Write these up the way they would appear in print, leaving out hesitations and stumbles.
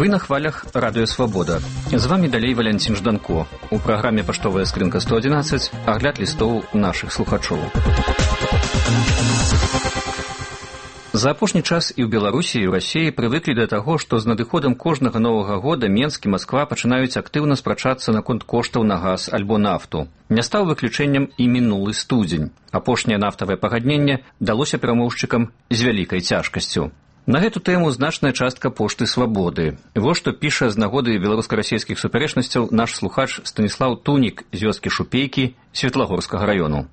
Вы на хвалях Радыё Свабода. З вами далей Валянцін Жданко. У праграме «Паштовая скрынка 111» агляд лістоў нашых слухачоў. За апошні час і ў Беларусі, і ў Расіі прывыклі да таго, што з надыходам кожнага новага года Менск і Масква пачынаюць актыўна спрачацца наконт коштаў на газ альбо нафту. Не стаў выключэннем і мінулы студзень. Апошняе нафтавае пагадненне далося перамоўшчыкам з вялікай цяжкасцю. На гэту тэму значная частка пошты «Свабоды». Вось што піша з нагоды беларуска-расійскіх супярэчнасцяў наш слухач Станіслаў Тунік з вёскі Шупейкі Светлагорскага раёну.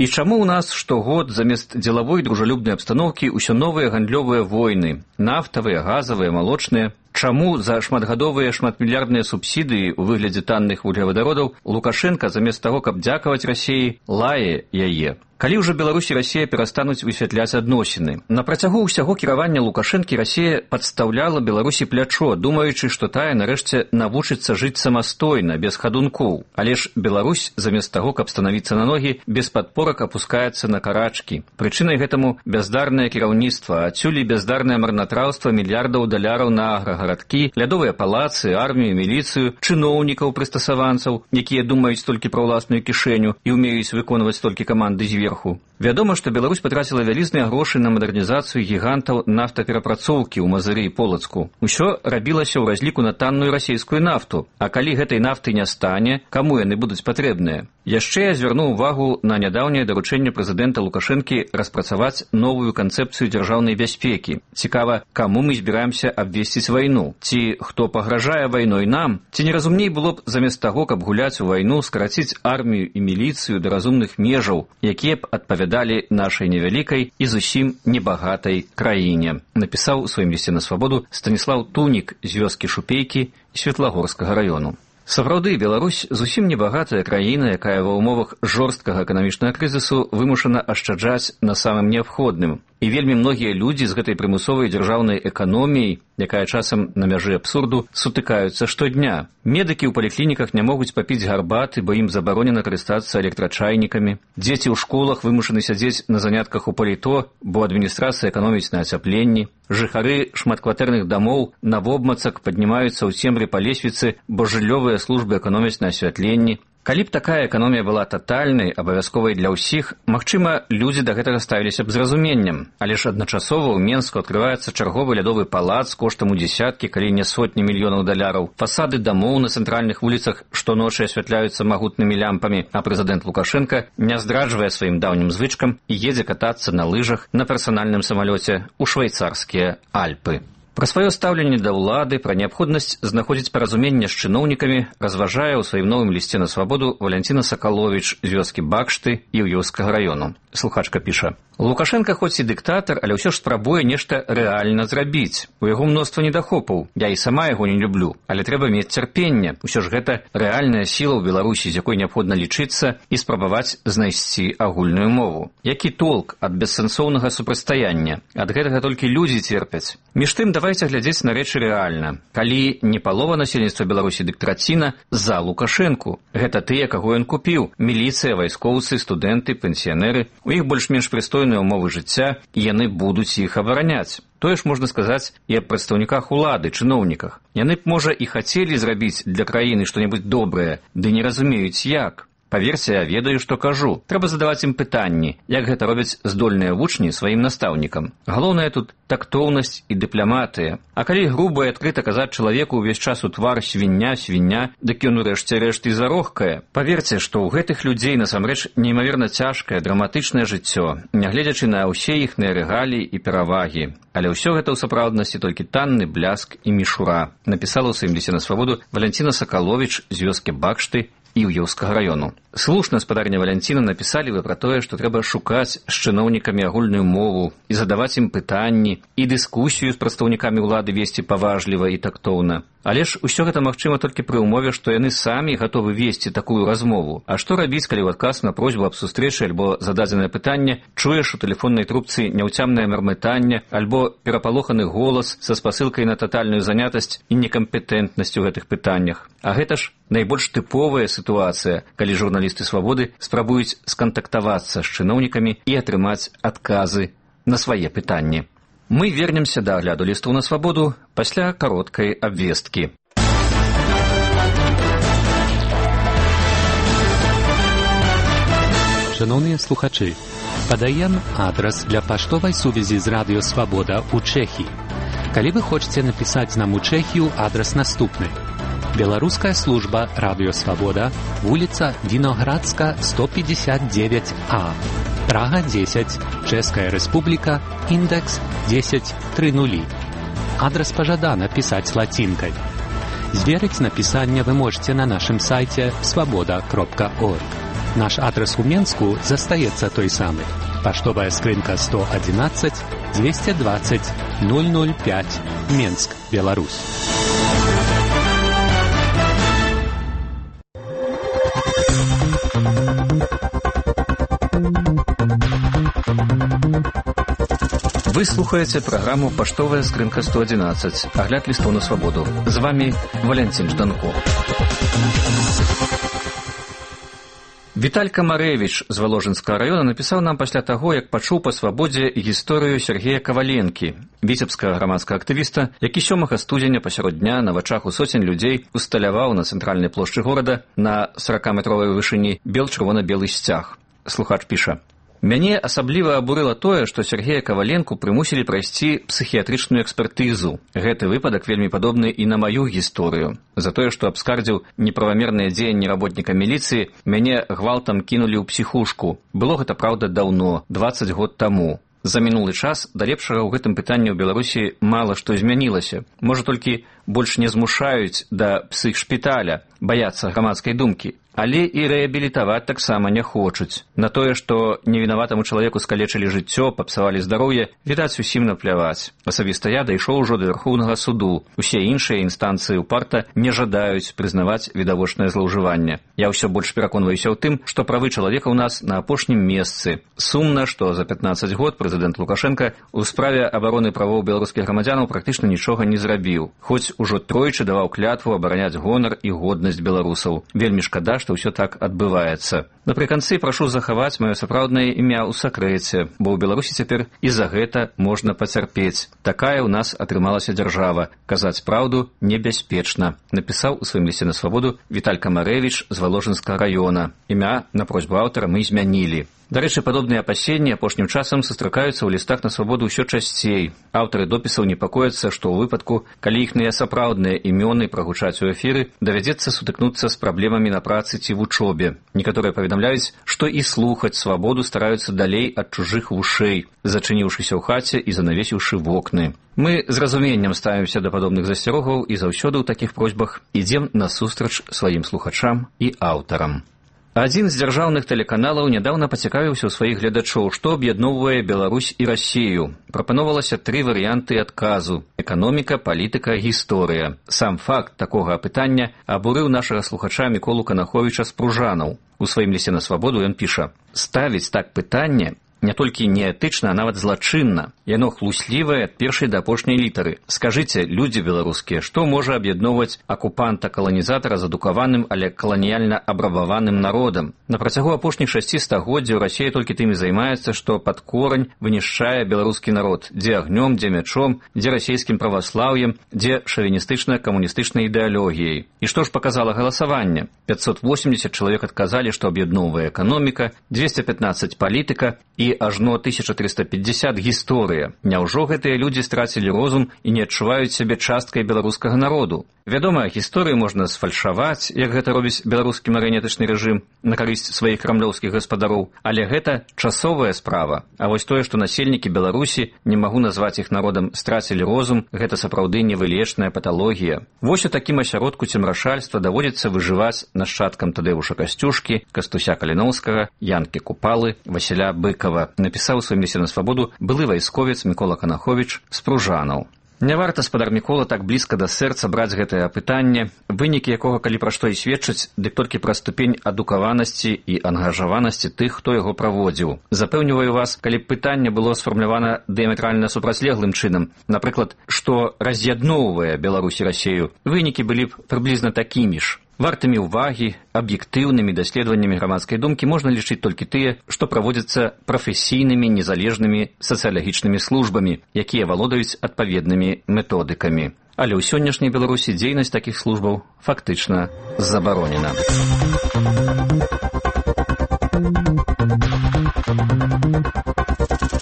І чаму ў нас штогод замест дзелавой дружалюбнай абстаноўкі ўсё новыя гандлёвыя войны, нафтавыя, газавыя, малочныя? Чаму за шматгадовыя шматмільярдныя субсідыі ў выглядзе танных вуглевадародаў Лукашенка замест таго, каб дзякаваць Расіі, лае яе? Калі ўжо Беларусь і Расія перастануць высвятляць адносіны? На працягу ўсяго кіравання Лукашэнкі Расія падстаўляла Беларусі плячо, думаючы, што тая нарэшце навучыцца жыць самастойна, без хадункоў. Але ж Беларусь, замест таго, каб станавіцца на ногі, без падпорак апускаецца на карачкі. Прычынай гэтаму бяздарнае кіраўніцтва, адсюль і бяздарнае марнатраўства мільярдаў даляраў на аграгарадкі, лядовыя палацы, армію, міліцыю, чыноўнікаў, прыстасаванцаў, якія думаюць толькі пра ўласную кішэню і ўмеюць выконваць толькі каманды зверху. Вядома, што Беларусь патраціла вялізныя грошы на мадэрнізацыю гігантаў нафтаперапрацоўкі ў Мазыры і Полацку. Усё рабілася ў разліку на танную расійскую нафту. А калі гэтай нафты не стане, каму яны будуць патрэбныя? Яшчэ я звярнуў увагу на нядаўняе даручэнне прэзідэнта Лукашэнкі распрацаваць новую канцэпцыю дзяржаўнай бяспекі. Цікава, каму мы збіраемся абвесціць вайну? Ці хто пагражае вайной нам? Ці не разумней было б замест таго, каб гуляць у вайну, скараціць армію і міліцыю да разумных межаў, якія б адпавядалі нашай невялікай і зусім небагатай краіне? Напісаў у сваім лісце на Свабоду Станіслаў Тунік з вёскі Шупейкі Светлагорскага раёну. Сапраўды, Беларусь зусім небагатая краіна, якая ва ўмовах жорсткага эканамічнага крызісу вымушана ашчаджаць на самым неабходным. І вельмі многія людзі з гэтай прымусовай дзяржаўнай эканоміяй, якая часам на мяжы абсурду, сутыкаюцца штодня. Медыкі ў паліклініках не могуць папіць гарбаты, бо ім забаронена карыстацца электрачайнікамі. Дзеці ў школах вымушаны сядзець на занятках у паліто, бо адміністрацыя эканоміць на ацяпленні. Жыхары шматкватэрных дамоў навобмацак паднімаюцца ў цемры па лесвіцы, бо жыллёвыя службы эканомяць на асвятленні. Калі б такая эканомія была татальнай, абавязковай для ўсіх, магчыма, людзі да гэтага ставіліся б з разуменнем. Але ж адначасова ў Менску адкрываецца чарговы лядовы палац коштам у дзесяткі, калі не сотні мільёнаў даляраў. Фасады дамоў на цэнтральных вуліцах штоночы асвятляюцца магутнымі лямпамі, а прэзідэнт Лукашенка не здраджвае сваім даўнім звычкам і едзе катацца на лыжах на персанальным самалёце ў швейцарскія Альпы. Пра сваё стаўленне да ўлады, пра неабходнасць знаходзіць паразуменне з чыноўнікамі разважае ў сваім новым лісце на Свабоду Валянціна Сакаловіч з вёскі Бакшты і Іўёўскага раёну. Слухачка піша: Лукашенка хоць і дыктатар, але ўсё ж спрабуе нешта рэальна зрабіць. У яго мноства недахопаў. Я і сама яго не люблю, але трэба мець цярпенне. Усё ж гэта рэальная сіла ў Беларусі, з якой неабходна лічыцца і спрабаваць знайсці агульную мову. Які толк ад бессэнсоўнага супрацьстаяння? Ад гэтага толькі людзі церпяць. Між тым, давайце глядзець на рэчы рэальна. Калі не палова насельніцтва Беларусі дык траціна за Лукашэнку. Гэта тыя, каго ён купіў: міліцыя, вайскоўцы, студэнты, пенсіянеры. У іх больш-менш прыстойныя ўмовы жыцця, і яны будуць іх абараняць. Тое ж можна сказаць і аб прадстаўніках улады, чыноўніках. Яны б, можа, і хацелі зрабіць для краіны што-небудзь добрае, ды не разумеюць як. Паверце, я ведаю, што кажу. Трэба задаваць ім пытанні, як гэта робяць здольныя вучні сваім настаўнікам. Галоўнае тут тактоўнасць і дыпламатыя. А калі груба і адкрыта казаць чалавеку ўвесь час у твар свіння, дык ён урэшце рэшт і зарохкае. Паверце, што ў гэтых людзей насамрэч неймаверна цяжкае, драматычнае жыццё, нягледзячы на ўсе іхныя рэгаліі і перавагі. Але ўсё гэта ў сапраўднасці толькі танны бляск і мішура. Напісала ў сваім лісце на Свабоду Валянціна Сакаловіч з вёскі Бакшты Іўёўскага раёну. Слушна, спадарня Валянціна, напісалі вы пра тое, што трэба шукаць з чыноўнікамі агульную мову і задаваць ім пытанні, і дыскусію з прадстаўнікамі ўлады весці паважліва і тактоўна. Але ж усё гэта магчыма толькі пры ўмове, што яны самі гатовы весці такую размову. А што рабіць, калі ў адказ на просьбу аб сустрэчы альбо зададзенае пытанне чуеш у тэлефоннай трубцы няўцямнае мармытанне альбо перапалоханы голас са спасылкай на татальную занятасць і некампетэнтнасць у гэтых пытаннях? А гэта ж найбольш тыповая сітуацыя, калі журналісты Свабоды спрабуюць скантактавацца з чыноўнікамі і атрымаць адказы на свае пытанні. Мы вернемся да агляду лістаў на свабоду пасля кароткай абвесткі. Шановні слухачі, подаем адрес для паштовай сувязі з Радіо Свабода у Чехії. Калі вы хочаце напісаць нам у Чехію, адрес наступны. Беларуская служба Радіо Свабода, вуліца Віноградска, 159А, Прага 10, Чэшская Рэспубліка, індекс 1030. Адрес пажадана пісаць лацінкай. Зверыць напісанне вы можете на нашым сайце свабода.орг. Наш адрес у Менску застаецца той самы. Паштовая скрынка 111 220 005, Менск, Беларусь. Вы слухаете праграму «Паштовая скрынка 111», агляд лістаў на свабоду. З вами Валентин Жданко. Віталька Марэвіч з Валожынскага раёна напісаў нам пасля таго, як пачуў па свабодзе гісторыю Сергея Каваленкі, віцебскага грамадскага актывіста, які 7 студзеня пасярод дня на вачах у соцень людзей усталяваў на цэнтральнай плошчы горада на 40-метровай вышыні бел-чырвона-белы сцяг. Слухач піша: «Мяне асабліва абурыла тое, што Сергея Каваленку прымусілі прайсці псіхіятрычную экспертызу. Гэты выпадак вельмі падобны і на маю гісторыю. За тое, што абскардзіў неправамерныя дзеянні работніка міліцыі, мяне гвалтам кінулі ў псіхушку. Было гэта, праўда, даўно, 20 год таму. За мінулы час да лепшага ў гэтым пытанні ў Беларусі мала што змянілася. Можа, толькі больш не змушаюць да псіхшпіталя, баяцца грамадскай думкі. Але і рэабілітаваць таксама не хочуць. На тое, што невінаватаму чалавеку скалечылі жыццё, папсавалі здароўе, відаць, усім напляваць. Асабіста я дайшоў ужо да Вярхоўнага суду. Усе іншыя інстанцыі ўпарта не жадаюць прызнаваць відавочнае злоўжыванне. Я ўсё больш пераконваюся ў тым, што правы чалавека ў нас на апошнім месцы. Сумна, што за 15 год прэзідэнт Лукашенка ў справе абароны правоў беларускіх грамадзянаў практычна нічога не зрабіў. Хоць ужо тройчы даваў клятву абараняць гонар і годнасць беларусаў. Вельмі шкада, што ўсё так адбываецца. Напрыканцы прашу захаваць маё сапраўднае імя ў сакрэце, бо ў Беларусі цяпер і за гэта можна пацярпець. Такая ў нас атрымалася дзяржава. Казаць праўду небяспечна, напісаў у сваім лісце на свабоду Віталька Марэвіч з Валожынскага раёна. Імя на просьбу аўтара мы змянілі. Дарэчы, падобныя апасенні апошнім часам сустракаюцца ў лістах на свабоду ўсё часцей. Аўтары допісаў непакояцца, што ў выпадку, калі іхныя сапраўдныя імёны прагучаць у эфіры, давядзецца сутыкнуцца з праблемамі на працы ці вучобе. Некаторыя паведамляюць, што і слухаць свабоду стараюцца далей ад чужых вушэй, зачыніўшыся ў хаце і занавесіўшы вокны. Мы з разуменнем ставімся да падобных засцярогаў і заўсёды ў такіх просьбах ідзем насустрач сваім слухачам і аўтарам. Адзін з дзяржаўных тэлеканалаў нядаўна пацікавіўся ў сваіх гледачоў, што аб'ядноўвае Беларусь і Расію. Прапаноўвалася 3 варыянты адказу: эканоміка, палітыка, гісторыя. Сам факт такога апытання абурыў нашага слухача Міколу Канаховіча з Пружанаў. У сваім лісце на свабоду ён піша: «Ставіць так пытанне не толькі неэтычна, а нават злачынна. Яно хлуслівае ад першай да апошняй літары. Скажыце, людзі беларускія, што можа аб'ядноўваць акупанта-каланізатара з адукаваным, але каланіяльна абрабаваным народам? На працягу апошніх 6 стагоддзяў Расія толькі тым і займаецца, што пад корань вынішчае беларускі народ. Дзе агнём, дзе мячом, дзе расійскім праваслаўем, дзе шавіністычна-камуністычнай ідэалогіяй. І што ж паказала галасаванне? 580 чалавек адказалі, што аб'ядноўвае эканоміка, 215 палітыка і ажно 1350 гісторыя. Няўжо гэтыя людзі страцілі розум і не адчуваюць сябе часткай беларускага народу? Вядома, гісторыю можна сфальшаваць, як гэта робіць беларускі марыянетычны рэжым на карысць сваіх крамлёўскіх гаспадароў, але гэта часовая справа. А вось тое, што насельнікі Беларусі, не магу назваць іх народам, страцілі розум, гэта сапраўды невылечная паталогія. Вось у такім асяродку цемрашальства даводзіцца выжываць нашчадкам Тадэвуша Касцюшкі, Кастуся Каліноўскага, Янкі Купалы, Васіля Быкава, напісаў у сваім лісце на свабоду былы вайсковец Мікола Канаховіч з Пружанаў. Не варта, спадар Мікола, так блізка да сэрца браць гэтае апытанне, вынікі якога, калі пра што і сведчаць, дык толькі пра ступень адукаванасці і ангажаванасці тых, хто яго праводзіў. Запэўніваю вас, калі б пытанне было сфармулявана дыяметральна супрацьлеглым чынам, напрыклад, што раз'ядноўвае Беларусь і Расію, вынікі былі б прыблізна такімі ж. Вартымі ўвагі, аб'ектыўнымі даследаваннямі грамадскай думкі можна лічыць толькі тыя, што праводзяцца прафесійнымі незалежнымі сацыялагічнымі службамі, якія валодаюць адпаведнымі методыкамі. Але ў сённяшняй Беларусі дзейнасць такіх службаў фактычна забаронена.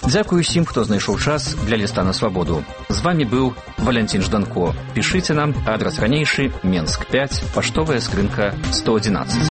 Дзякую усім, хто знайшоў час для ліста на свабоду. З вамі быў Валянцін Жданко. Пішыце нам, адрас ранейшы, Менск 5, паштовая скрынка 111.